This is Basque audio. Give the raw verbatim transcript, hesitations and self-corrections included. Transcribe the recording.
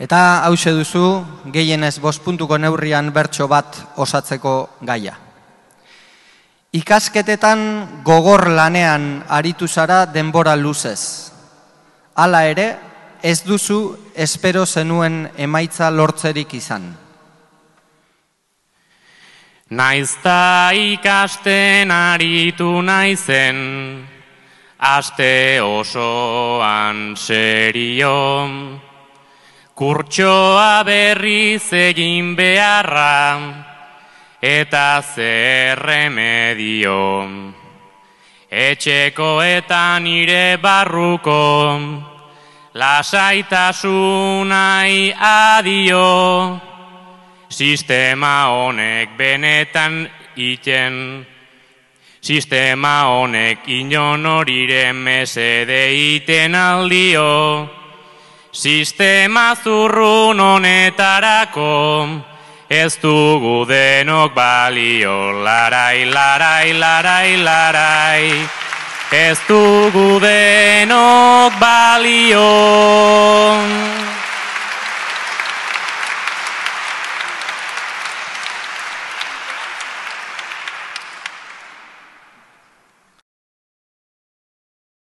Eta hause duzu, gehienez bost puntuko neurrian bertso bat osatzeko gaia. Ikasketetan gogor lanean aritu zara denbora luzez. Hala ere, ez duzu espero zenuen emaitza lortzerik izan. Naizta ikasten aritu naizen, aste osoan serio, kurtsoa berriz egin beharra, eta zer remedio. Etxeko eta nire barruko, lasaitasunai adio. Sistema honek benetan iten, sistema honek inon horiren mesede iten aldio. Sistema zurrun honetarako, ez dugu denok balio. Larai, larai, larai, larai, ez dugu denok balio.